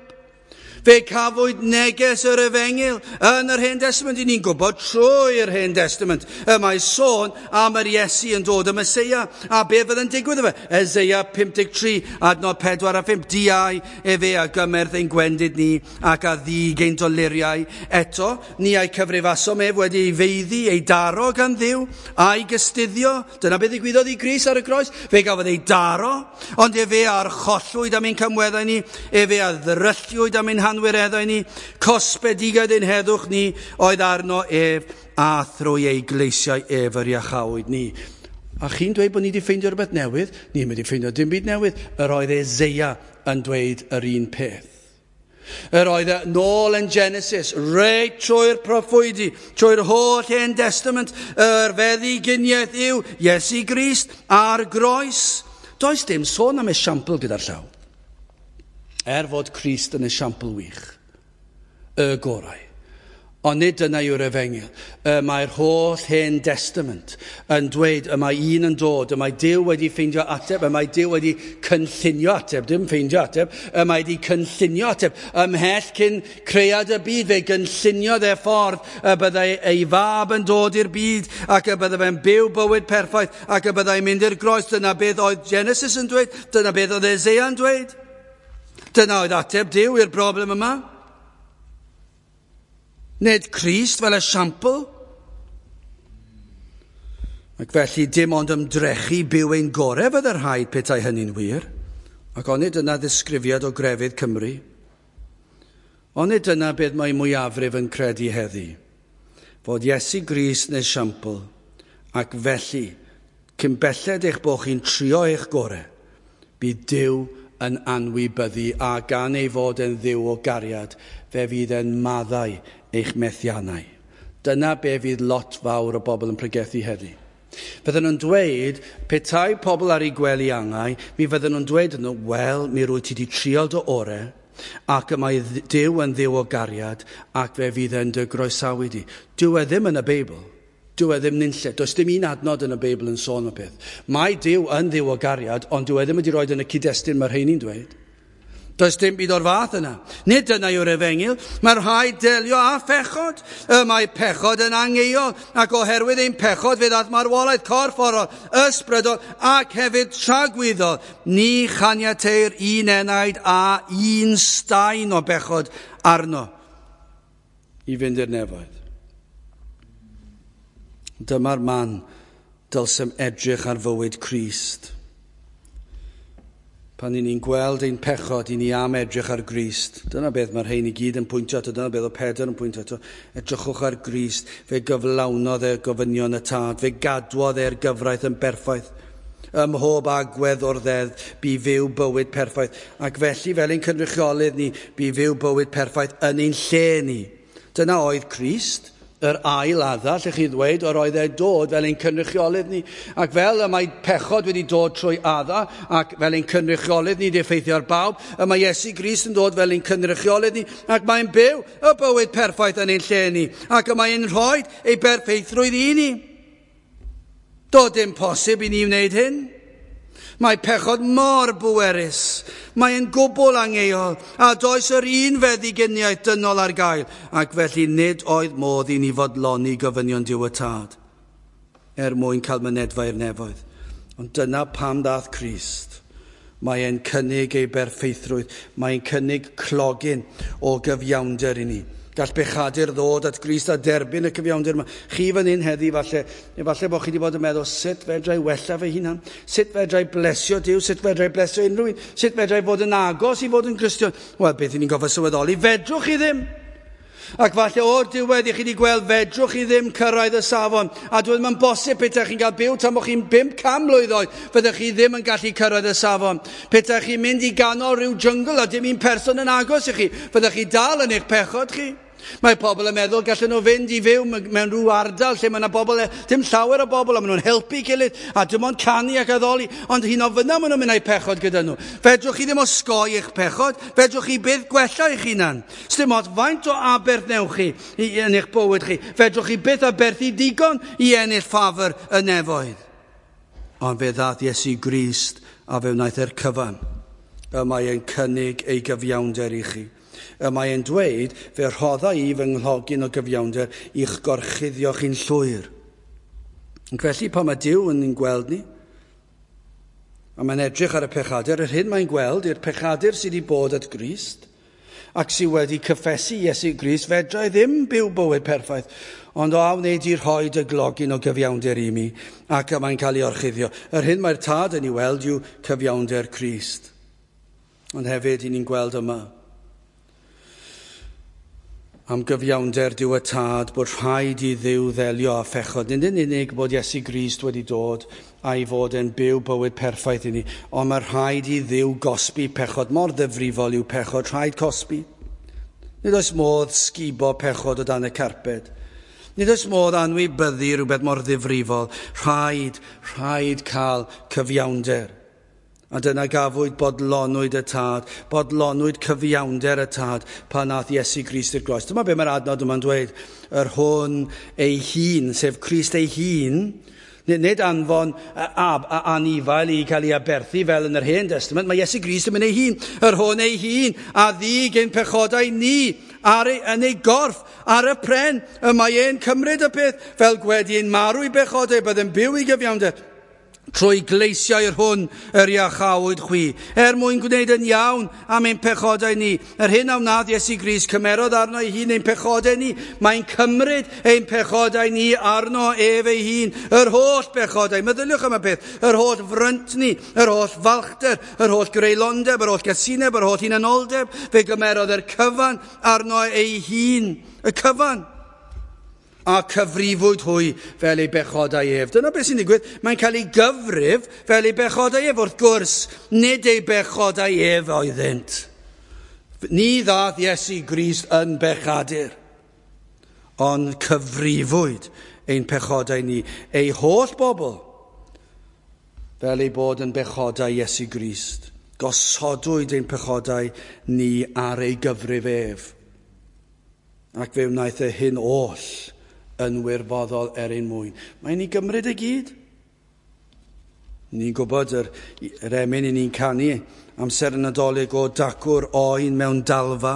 fe cafwyd neges yr efengyl yn yr Hen Testament. I ni'n gwybod trwy'r Hen Testament y mae sôn am yr Iesu yn dod y Meseia. A be fydd yn digwydd efo? Eseia 53, adnod 4 a 5. Diau efe a gymerth ein gwendid ni ac a ddig ein doluriau. Eto, ni a'i cyfrifasom ef wedi ei feiddi, ei daro gan Dduw, a'i gystuddio. Dyna beth ddigwyddodd i Grist ar y groes. Fe gafodd ei daro, ond efe a archollwyd am ein camweddau ni, efe a ddrylliwyd am ein hanwireddau ni, cosbedigaeth ein heddwch ni oedd arno ef, a thrwy ei gleisiau ef yr iachawyd ni. A chi'n dweud bod ni wedi ffeindio rhywbeth newydd? Ni'n mynd i ffeindio dim byd newydd. Yr oedd Eseia yn dweud yr un peth. Yr oedd e nôl yn Genesis, reit trwy'r proffwydi, trwy'r holl Hen Testament, yr feddyginiaeth yw Iesu Grist a'r groes. Does dim sôn am esiampl gyda'r llaw. Er fod Crist yn esiampl wych, y gorau. Ond nid dyna yw'r efengyl. Y mae'r holl Hen Testament yn dweud y mae un yn dod, y mae Duw wedi ffeindio ateb, y mae Duw wedi cynllunio ateb, dim ffeindio ateb, y mae wedi cynllunio ateb. Ymhell cyn cread y byd, fe gynlluniodd e ffordd y byddai ei fab yn dod i'r byd ac y byddai fe'n byw bywyd perffaith ac y byddai'n mynd i'r groes. Dyna beth oedd Genesis yn dweud, dyna beth oedd Eseia yn dweud. Dyna oedd ateb Duw i'r broblem yma. Nid Crist fel esiampl. Ac felly dim ond ymdrechu byw ein gorau fydde'r rhaid petai hynny'n wir. Ac onid dyna ddisgrifiad o grefydd Cymru. Onid dyna beth mae mwyafrif yn credu heddi. Fod Iesu Grist yn esiampl, ac felly, cyn belled eich bod chi'n trio eich gorau, bydd Duw yn anwybyddu, a gan ei fod yn Dduw o gariad, fe fydd yn maddau eich methiannau. Dyna be fydd lot fawr o bobl yn pregethu heddi. Fydden nhw'n dweud, petai pobl ar eu gwely angau, mi fydden nhw'n dweud nhw, wel, mi rwy ti wedi trial dy orau, ac y mae Duw yn Dduw o gariad, ac fe fydd yn dy groesawu di. Dyw e ddim yn y Beibl. Dyw e ddim nunlle. Does dim un adnod yn y Beibl yn sôn am y peth. Mae Duw yn Dduw o gariad, ond dyw e ddim wedi rhoi yn y cyd-destun mae'r rheini'n dweud. Does dim byd o'r fath yna. Nid dyna yw'r efengyl. Mae'r rhaid delio â phechod. Y mae pechod yn angeuol, ac oherwydd ein pechod fe ddaeth marwolaeth corfforol, ysbrydol ac hefyd tragwyddol. Ni chaniateir un enaid a un staen o bechod arno i fynd i'r nefoedd. Dyma'r man dylsem edrych ar fywyd Crist. Pan i ni'n gweld ein pechod, i ni am edrych ar Grist. Dyna beth mae'r rhain i gyd yn pwyntio ato, dyna beth o Pedr yn pwyntio ato. Edrychwch ar Grist, fe gyflawnodd e gofynion y tad, fe gadwodd e'r gyfraith yn berffaith. Ym mhob agwedd o'r ddeddf, bu fyw bywyd perffaith. Ac felly, fel ein cynrychiolydd ni, bu fyw bywyd perffaith yn ein lle ni. Dyna oedd Crist, yr ail Adda, lle chi ddweud, yr oedd e dod fel ein cynrychiolydd ni. Ac fel y mae pechod wedi dod trwy Adda, ac fel ein cynrychiolydd ni wedi effeithio ar bawb, y mae Iesu Grist yn dod fel ein cynrychiolydd ni, ac mae'n byw y bywyd perffaith yn ein lle ni, ac y mae'n rhoi ei berffeithrwydd i ni. Doedd dim posib i ni wneud hyn. Mae pechod mor bwerus, mae'n gwbl angeuol, a does yr un feddyginiaeth dynol ar gael, ac felly nid oedd modd i ni fodloni gofynion Duw y Tad, er mwyn cael mynedfa i'r nefoedd. Ond dyna pam ddath Crist. Mae e'n cynnig ei berffeithrwydd. Mae'n cynnig clogyn o gyfiawnder i ni. Gall bechadur ddod at Grist a derbyn y cyfiawnder yma. Chi fan hyn heddi, falle, efallai bod chi wedi bod yn meddwl, sut fedra i wella fy hunan? Sut fedra i blesio Duw? Sut fedra i blesio unrhyw un? Sut fedra i fod yn agos i fod yn Gristion? Wel, beth i ni'n gofio sylweddoli? Fedrwch chi ddim. Ac falle o'r diwedd i chi wedi gweld fedrwch chi ddim cyrraedd y safon. A dwi ddim yn bosib petai chi'n cael byw tan bod chi'n 500 mlwydd oed, fyddech chi ddim yn gallu cyrraedd y safon. Petai chi'n mynd i ganol rhyw jyngl a dim un person yn agos i chi, fyddech chi dal yn eich pechod chi. Mae pobl yn meddwl gallen nhw fynd i fyw mewn rhyw ardal lle mae yna bobl, dim llawer o bobl, a maen nhw'n helpu gilydd, a dim ond canu ac addoli, ond hyn o fyna maen nhw'n mynd â'u pechod gyda nhw. Fedrwch chi ddim osgoi eich pechod, fedrwch chi byth gwella eich hunan. Sdim ots faint o aberth newch chi yn eich bywyd chi, fedrwch chi byth aberthu digon i ennill ffafr y nefoedd. Ond fe ddaeth Iesu Grist a fe wnaeth e'r cyfan. Y mae e'n cynnig ei gyfiawnder i chi. Y mae e'n dweud, fe rhodda i fy nghlogyn o gyfiawnder i'ch gorchuddio chi'n llwyr. Ac felly pan mae Duw yn ein gweld ni, a mae'n edrych ar y pechadur, yr hyn mae'n gweld yw'r pechadur sydd wedi bod at Grist, ac sydd wedi cyffesu Iesu Grist, fedra i ddim byw bywyd perffaith, ond o a wneud i rhoi dy glogyn o gyfiawnder i mi, ac y mae'n cael ei orchuddio. Yr hyn mae'r tad yn ei weld yw cyfiawnder Crist. Ond hefyd, i ni'n gweld yma, am gyfiawnder Duw y Tad, bod rhaid i Dduw ddelio â phechod. Nid yn unig bod Iesu Grist wedi dod a'i fod yn byw bywyd perffaith i ni, ond mae rhaid i Dduw gosbi pechod. Mor ddifrifol yw pechod, rhaid cosbi. Nid oes modd sgubo pechod o dan y carped. Nid oes modd anwybyddu rhywbeth mor ddifrifol. Rhaid, rhaid cael cyfiawnder. A dyna gafwyd bodlonwyd y tad, bodlonwyd cyfiawnder y tad pan nath Iesu Grist i'r groes. Dyma be mae'r adnod yma'n dweud, yr hwn ei hun, sef Crist ei hun, nid anfon anifail i cael ei aberthu fel yn yr Hen Testament, mae Iesu Grist yn mynd ei hun, yr hwn ei hun, a ddig ein pechodau ni ar ei, yn ei gorff, ar y pren, y mae e'n cymryd y peth, fel gwedi ein marw i bechodau, bydd yn byw i gyfiawnder. Trwy gleisiau'r hwn yr iachawyd chwi, er mwyn gwneud yn iawn am ein pechodau ni. Yr hyn a wnaeth Iesu Grist, cymerodd arno ei hun ein pechodau ni. Mae'n cymryd ein pechodau ni arno ef ei hun. Yr holl bechodau, meddyliwch am y peth, yr holl fryntni, yr holl falchder, yr holl greulondeb, yr holl gasineb, yr holl hunanoldeb, fe gymerodd yr cyfan arno ei hun, y cyfan. A cyfrifwyd hwy fel ei bechodau ef. Dyna beth sy'n digwydd. Mae'n cael ei gyfrif fel ei bechodau ef. Wrth gwrs, nid ei bechodau ef oeddynt. Ni ddaeth Iesu Grist yn bechadur, ond cyfrifwyd ein pechodau ni, ei holl bobl, fel ei bod yn bechodau Iesu Grist. Gosodwyd ein pechodau ni ar ei gyfrif ef. Ac fe wnaeth e hyn oll yn wirfoddol er ein mwyn. Mae'n ei gymryd i gyd. Ni'n gwybod yr emyn i ni'n canu amser y Nadolig o dacw'r oen mewn dalfa,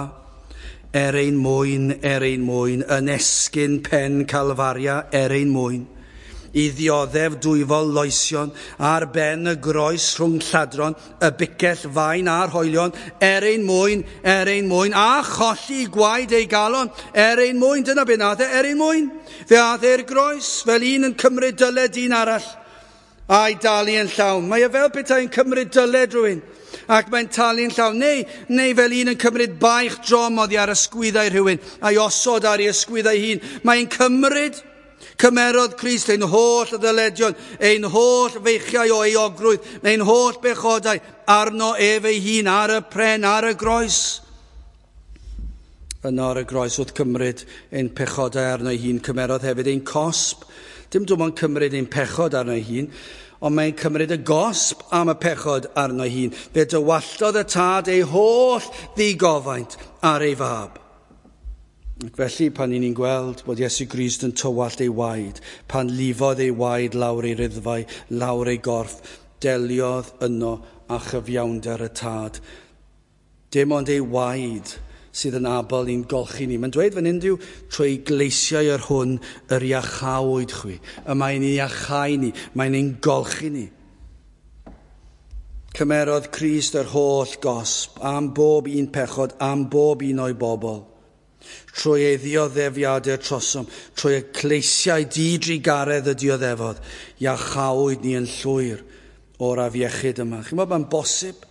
er ein mwyn, yn esgyn pen Calfaria, er ein mwyn, i ddioddef dwyfol loesion ar ben y groes rhwng lladron, y bicell fain a'r hoelion, er ein mwyn, a cholli gwaed ei galon, er ein mwyn, dyna be nath e, er ein mwyn. Fe ath e'r groes fel un yn cymryd dyled un arall, a'i dalu yn llawn. Mae e fel petai'n cymryd dyled rhywun, ac mae'n talu'n llawn. Neu fel un yn cymryd baich drom oddi ar ysgwyddau rhywun, a'i osod ar ei ysgwyddau hun. Mae'n cymryd. Cymerodd Crist ein holl ddyledion, ein holl feichiau o euogrwydd, ein holl bechodau arno ef ei hun ar y pren, ar y groes. Yno ar y groes wrth cymryd ein pechodau arno ei hun, cymerodd hefyd ein cosb. Dim dim ond cymryd ein pechod arno ei hun, ond mae'n cymryd y gosb am y pechod arno ei hun. Fe dywalltodd y tad ei holl ddigofaint ar ei fab. Ac felly, pan ni'n gweld bod Iesu Grist yn tywallt ei waed, pan lifodd ei waed lawr ei riddfau, lawr ei gorff, deliodd yno â chyfiawnder y tad. Dim ond ei waed sydd yn abl i'n golchi ni. Mae'n dweud fan hyn yw, trwy gleisiau yr hwn yr iachawyd chwi. Y mae'n ei iachau ni, mae'n ein golchi ni. Cymerodd Crist yr holl gosb am bob un pechod, am bob un o'i bobl. Trwy ei ddioddefiadau trosom, trwy y cleisiau didrugaredd y dioddefodd, iachawyd ni yn llwyr o'r afiechyd yma. Chi'n meddwl, mae'n bosib?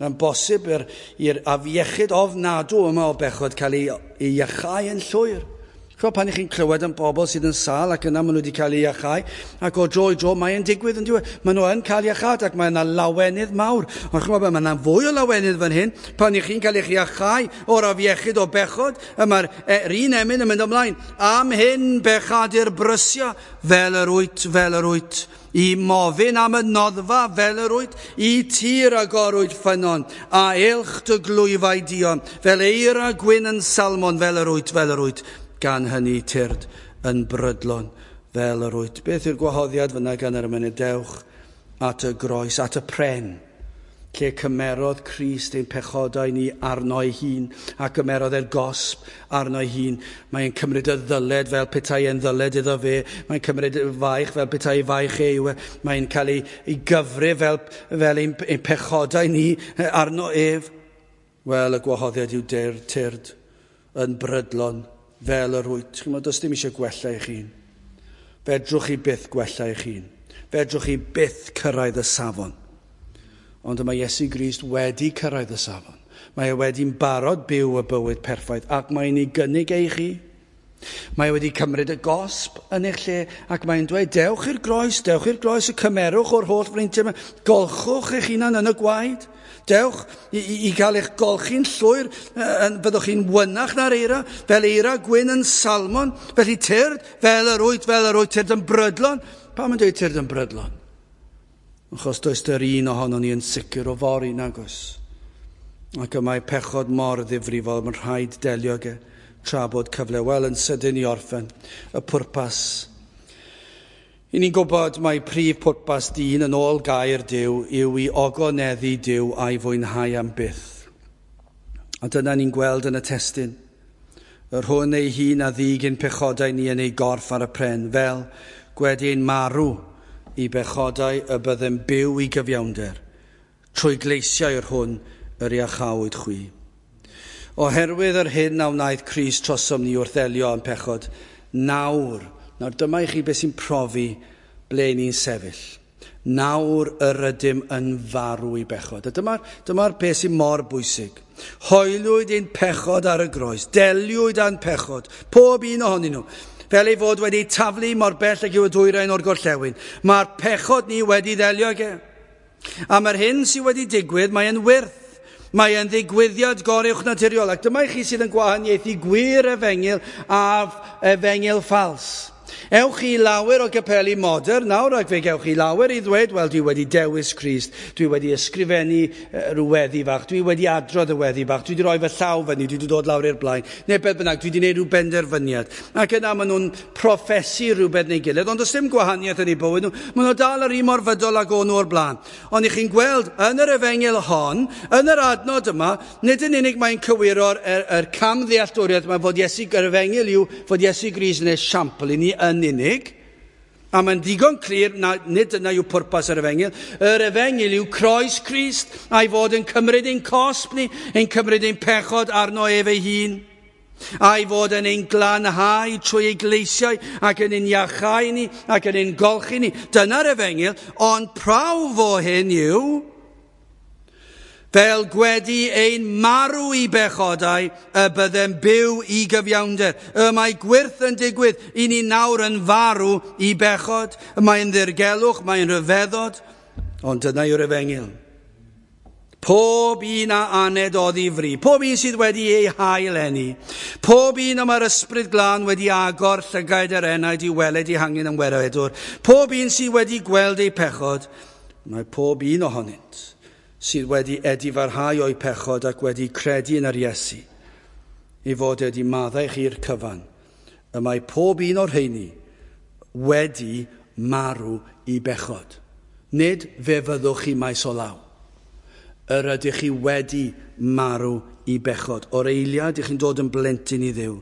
Mae'n bosib i'r afiechyd ofnadw yma o bechod cael ei iachau yn llwyr. Chwa, pan ych chi'n clywed am bobl sydd yn sâl ac yna maen nhw wedi cael eu iachau, ac o dro i dro mae'n digwydd yn diwedd. Maen nhw yn cael iachâd ac mae yna lawenydd mawr. Ond chwa, mae yna fwy o lawenydd fan hyn pan ych chi'n cael eich iachau o'r afiechyd o bechod, y mae'r un emyn yn mynd ymlaen. Am hyn bechadur brysia fel yr wyt, fel yr wyt. I mofyn am y noddfa fel yr wyt, i tir agorwyd ffynnon, a eilch dy glwyfau dion, fel eira gwyn yn Salmon fel yr wyt, fel yr wyt. Gan hynny tyrd yn brydlon fel yr wyt. Beth yw'r gwahoddiad fyna gan yr emynydd? Dewch at y groes, at y pren, lle cymerodd Crist ein pechodau ni arno ei hun, a gymerodd e'r gosb arno ei hun. Mae'n cymryd y ddyled fel petai e'n ddyled iddo fe, mae'n cymryd y faich fel petai faich e yw e, mae'n cael ei gyfrif fel ein pechodau ni arno ef. Wel, y gwahoddiad yw tyrd yn brydlon fel yr wyt. Chi'n meddwl, does dim eisiau gwella eich hun. Fedrwch chi byth gwella eich hun. Fedrwch chi byth cyrraedd y safon. Ond mae Iesu Grist wedi cyrraedd y safon. Mae e wedi'n barod byw y bywyd perffaith ac mae'n ei gynnig ei chi. Mae e wedi cymryd y gosb yn eich lle ac mae'n dweud, dewch i'r groes, y cymerwch o'r holl freintiau yma, golchwch eich hunan yn y gwaed. Dewch i gael eich golchi'n llwyr, byddwch chi'n wynach na'r eira, fel eira gwyn yn Salmon, felly tyrd, fel yr wyt, tyrd yn brydlon. Pam yn dweud tyrd yn brydlon? Achos does dy'r un ohonon ni yn sicr o fory, nag oes. Ac y mae pechod mor ddifrifol, mae'n rhaid delio ag e tra bod cyfle. Wel, yn sydyn i orffen, y pwrpas. I ni'n gwybod mai prif pwrpas dyn yn ôl gair Duw yw i ogoneddu Duw a'i fwynhau am byth. A dyna ni'n gweld yn y testun. Yr hwn ei hun a ddig ein pechodau ni yn ei gorff ar y pren, fel gwedi ein marw i bechodau y byddem byw i gyfiawnder, trwy gleisiau yr hwn yr iachawyd chwi. Oherwydd yr hyn a wnaeth Crist trosom ni wrth ddelio â'n pechod, nawr dyma i chi beth sy'n profi ble ni'n sefyll. Nawr yr ydym yn farw i bechod. A dyma'r beth sy'n mor bwysig. Hoeliwyd ein pechod ar y groes, deliwyd â'n pechod, pob un ohonyn nhw, fel ei fod wedi taflu mor bell ag yw y dwyrain o'r gorllewin. Mae'r pechod ni wedi ddelio ag e. A mae'r hyn sydd wedi digwydd, mae'n wyrth. Mae e'n ddigwyddiad goruwchnaturiol. Ac dyma i chi sydd yn gwahaniaethu gwir efengyl a efengyl ffals. Ewch chi lawer o gapeli modern nawr, ac fe gewch chi lawer i ddweud, wel, dwi wedi dewis Crist, dwi wedi ysgrifennu rhyw weddi fach, dwi wedi adrodd y weddi fach, dwi wedi rhoi fy llaw fyny, dwi wedi dod lawr i'r blaen, neu beth bynnag, dwi wedi gwneud rhyw benderfyniad. Ac yna maen nhw'n proffesu rhywbeth neu gilydd, ond does dim gwahaniaeth yn eu bywyd nhw, maen nhw dal yr un mor fydol ag o'n nhw o'r blaen. Ond i chi'n gweld, yn yr efengyl hon, yn yr adnod yma, nid yn unig mae'n cywiro'r yr camddealltwriaeth yma fod Iesu, yr efengyl yw fod Iesu Grist yn esiampl i ni yn unig, a mae'n ddigon clir na, nid dyna yw pwrpas yr efengyl. Yr efengyl yw croes Crist, a'i fod yn cymryd ein cosb ni, ein cymryd ein pechod arno ef ei hun, a'i fod yn ein glanhau trwy ei gleisiau ac yn ein iachau ni ac yn ein golchi ni. Dyna'r efengyl, ond prawf o hyn yw fel gwedi ein marw i bechodau, y byddem byw i gyfiawnder. Y mae gwyrth yn digwydd i ni nawr yn farw i bechod. Y mae'n ddirgelwch, mae'n rhyfeddod, ond dyna yw'r efengyl. Pob un a aned oddi fri, pob un sydd wedi ei hail-eni, pob un y mae'r ysbryd glân wedi agor llygaid yr enaid i weled ei hangen yn weredwr, pob un sydd wedi gweld ei pechod, mae pob un ohonynt sydd wedi edifarhau o'i pechod ac wedi credu yn yr Iesu, i fod wedi maddau chi'r cyfan. Y mae pob un o'r rheini wedi marw i bechod. Nid fe fyddwch chi maes o law. Yr ydych chi wedi marw i bechod. O'r eiliad, ych chi'n dod yn blentyn i Dduw.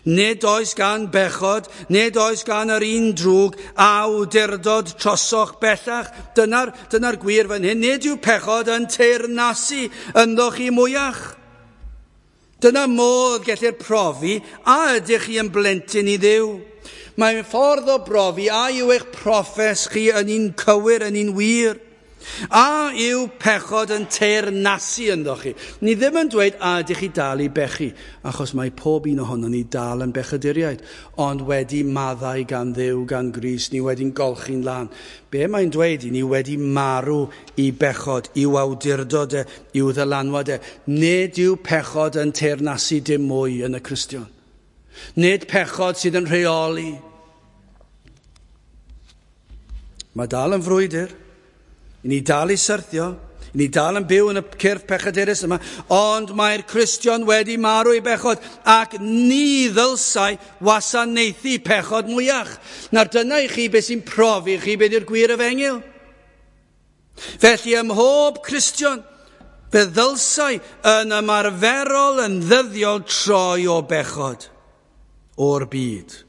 Nid oes gan bechod, nid oes gan yr un drwg awdurdod trosoch bellach. Dyna'r gwir fan hyn. Nid yw pechod yn teyrnasu ynddoch chi mwyach. Dyna modd gellir profi a ydych chi yn blentyn i Dduw. Mae'n ffordd o brofi a yw eich proffes chi yn un cywir, yn un wir. A yw pechod yn teyrnasu ynddoch chi? Ni ddim yn dweud a ydych chi dal i bechu, achos mae pob un ohono ni dal yn bechaduriaid, ond wedi maddau gan Dduw, gan Grist, ni wedi'n golchi'n lân. Be mae'n dweud i ni wedi marw i bechod, i'w awdurdod e, i'w ddylanwad e. Nid yw pechod yn teyrnasu dim mwy yn y Cristion. Nid pechod sydd yn rheoli. Mae dal yn frwydr. I ni dal i syrthio, i ni dal yn byw yn y cyrff pechadurus yma, ond mae'r Cristion wedi marw i bechod ac ni ddylsai wasanaethu pechod mwyach. Nawr dyna i chi beth sy'n profi chi beth yw'r gwir efengyl. Felly ym mhob Cristion, fe ddylsai yn ymarferol yn ddyddiol troi o bechod o'r byd,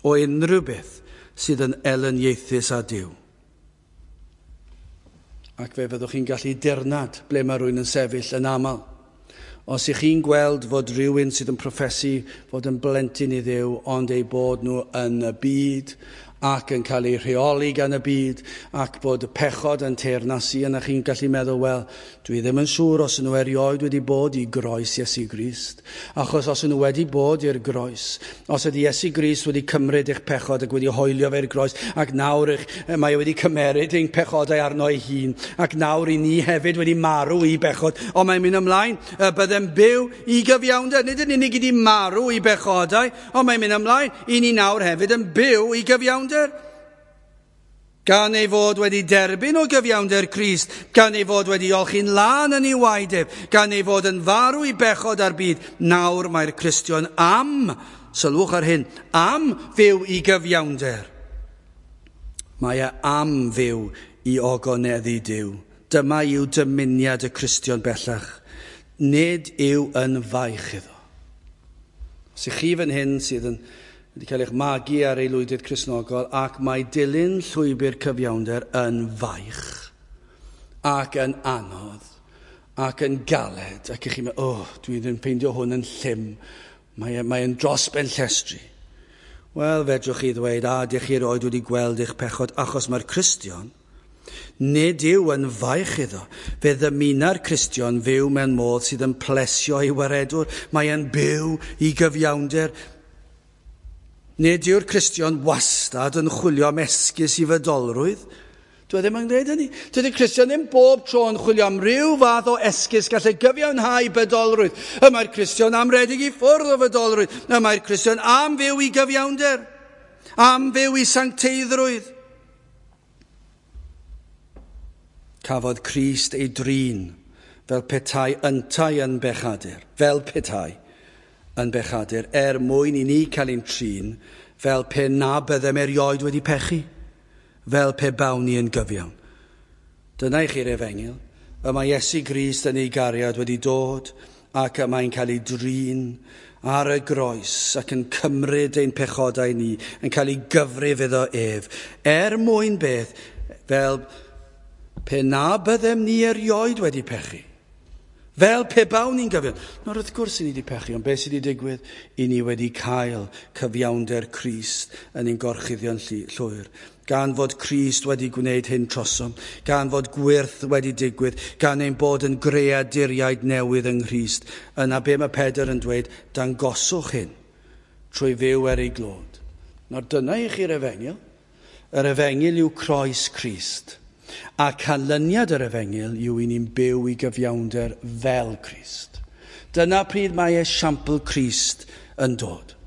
o unrhyw beth sydd yn elyniaethus â Duw. Ac fe fyddwch chi'n gallu dirnad ble mae rhywun yn sefyll yn aml. Os ych chi'n gweld fod rhywun sydd yn proffesu fod yn blentyn i Dduw, ond eu bod nhw yn y byd ac yn cael eu rheoli gan y byd, ac bod y pechod yn teyrnasu, yna chi'n gallu meddwl, wel, dwi ddim yn siŵr os nhw erioed wedi bod i groes Iesu Grist. Achos os nhw wedi bod i'r groes, os ydy Iesu Grist wedi cymryd eich pechod ac wedi hoelio fe'r groes, ac nawr mae wedi cymeryd ein pechodau arno ei hun, ac nawr i ni hefyd wedi marw i bechod, ond mae'n mynd ymlaen, byddem byw i gyfiawnder. Nid yn unig i ni marw i bechodau, ond mae'n mynd ymlaen, i ni nawr hefyd yn byw i gyfiawnder. Gan ei fod wedi derbyn o gyfiawnder Crist, gan ei fod wedi olchi'n lân yn ei waed ef, gan ei fod yn farw i bechod ar byd, nawr mae'r Cristion am, sylwch ar hyn, am fyw i gyfiawnder. Mae e am fyw i ogoneddu Duw. Dyma yw dymuniad y Cristion bellach. Nid yw yn faich iddo. Os ych chi fan hyn sydd yn wedi cael eich magu ar aelwydydd Cristnogol, ac mae dilyn llwybr cyfiawnder yn faich ac yn anodd ac yn galed, ac ych chi'n meddwl, oh, dwi ddim ffeindio hwn yn llym, mae'n dros ben llestri. Wel, fedrwch chi ddweud, a dych chi erioed wedi gweld eich pechod, achos mae'r Cristion, nid yw yn faich iddo. Fe ddymuna'r Cristion fyw mewn modd sydd yn plesio ei waredwr. Mae e'n byw i gyfiawnder. Nid yw'r Cristion wastad yn chwilio am esgus i fydolrwydd. Dwi ddim yn gwneud hynny. Dydy'r Cristion ddim bob tro yn chwilio am ryw fath o esgus gallai gyfiawnhau bydolrwydd. Y mae'r Cristion am redeg i ffwrdd o fydolrwydd. Y mae'r Cristion am fyw i gyfiawnder, am fyw i sancteiddrwydd. Cafodd Crist ei drin fel petai yntau yn bechadur, fel petai yn bechadur, er mwyn i ni cael ein trin fel pe na byddem erioed wedi pechu, fel pe bawn ni yn gyfiawn. Dyna i chi'r efengyl. Y mae Iesu Grist yn ei gariad wedi dod ac y mae'n cael ei drin ar y groes ac yn cymryd ein pechodau ni, yn cael ei gyfrif iddo ef, er mwyn beth, fel pe na byddem ni erioed wedi pechu. Fel pe bawn ni'n gyfiawn. Nawr wrth gwrs i ni wedi pechu, ond beth sydd wedi digwydd? I ni wedi cael cyfiawnder Crist yn ein gorchuddio'n llwyr. Gan fod Crist wedi gwneud hyn trosom, gan fod gwyrth wedi digwydd, gan ein bod yn greaduriaid newydd yng Nghrist. Yna be mae Pedr yn dweud, dangoswch hyn trwy fyw er ei glod. Nawr dyna i chi'r efengyl. Yr efengyl yw croes Crist. A canlyniad yr efengyl yw i ni'n byw i gyfiawnder fel Crist. Dyna pryd mae esiampl Crist yn dod.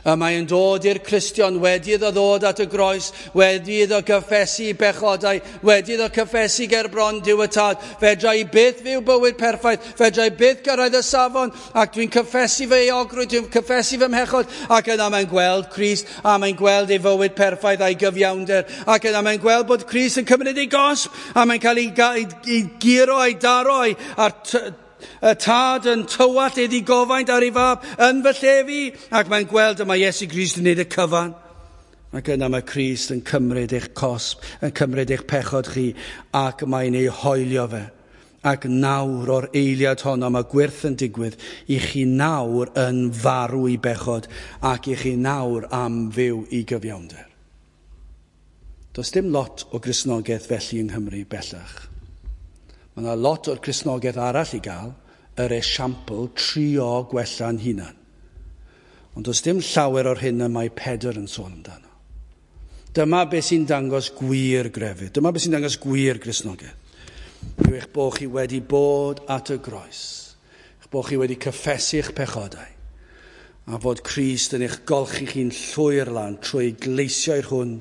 Y mae'n dod i'r Cristion wedi iddo ddod at y groes, wedi iddo gyffesu bechodau, wedi iddo cyffesu ger bron Duw y Tad. Fedra i byth fyw bywyd perffaith, fedra i byth gyrraedd y safon, ac dwi'n cyffesu fy euogrwydd, dwi'n cyffesu fy mhechod, ac yna mae'n gweld Crist, a mae'n gweld ei fywyd perffaith a'i gyfiawnder, ac yna mae'n gweld bod Crist yn cymryd ei gosb, a mae'n cael ei guro a'i daro a'r y tad yn tywallt ei ddigofaint ar ei fab yn fy lle fi, ac mae'n gweld y mae Iesu Grist yn gwneud y cyfan. Ac yna mae Crist yn cymryd eich cosb, yn cymryd eich pechod chi, ac mae'n ei hoelio fe. Ac nawr o'r eiliad honno mae gwyrth yn digwydd i chi nawr yn farw i bechod ac i chi nawr am fyw i gyfiawnder. Does dim lot o Gristnogaeth felly yng Nghymru bellach. Mae yna lot o'r Cristnogaeth arall i gael, yr esiampl trio gwella'n hunan. Ond does dim llawer o'r hyn y mae Pedr yn sôn amdano. Dyma beth sy'n dangos gwir grefydd. Dyma beth sy'n dangos gwir Gristnogaeth. Yw eich bod chi wedi bod at y groes. Eich bod chi wedi cyffesu'ch pechodau. A fod Crist yn eich golchi chi'n llwyr lan trwy gleisiau'r hwn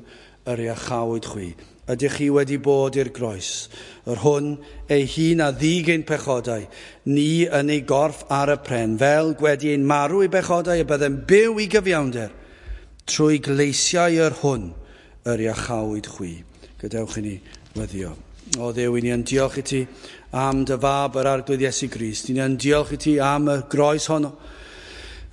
yr iachawyd chwi. Ydych chi wedi bod i'r groes, yr hwn ei hun a ddig ein pechodau, ni yn ei gorff ar y pren, fel gwedi ein marw i bechodau y byddem byw i gyfiawnder, trwy gleisiau yr hwn yr iachawyd chwi. Gadewch i ni weddio. O Dduw, i ni yn diolch i ti am dy fab yr Arglwydd Iesu Grist. I ni yn diolch i ti am y groes honno.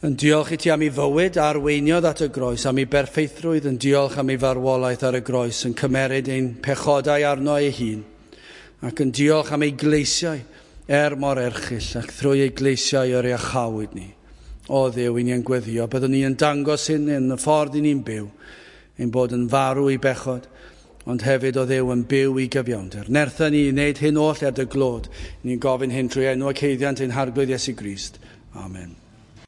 Yn diolch i ti am ei fywyd a arweiniodd at y groes, am ei berffeithrwydd, yn diolch am ei farwolaeth ar y groes, yn cymeryd ein pechodau arno ei hun, ac yn diolch am ei gleisiau er mor erchyll, ac thrwy ei gleisiau yr iachawyd ni. O Dduw, i ni yn gweddio, byddwn ni yn dangos hyn yn y ffordd i ni'n byw, ein bod yn farw i bechod, ond hefyd o Dduw yn byw i gyfiawnder. Nertha ni i wneud hyn oll er dy glod. Ni'n gofyn hyn trwy enw ac haeddiant ein Harglwydd Iesu Grist. Amen.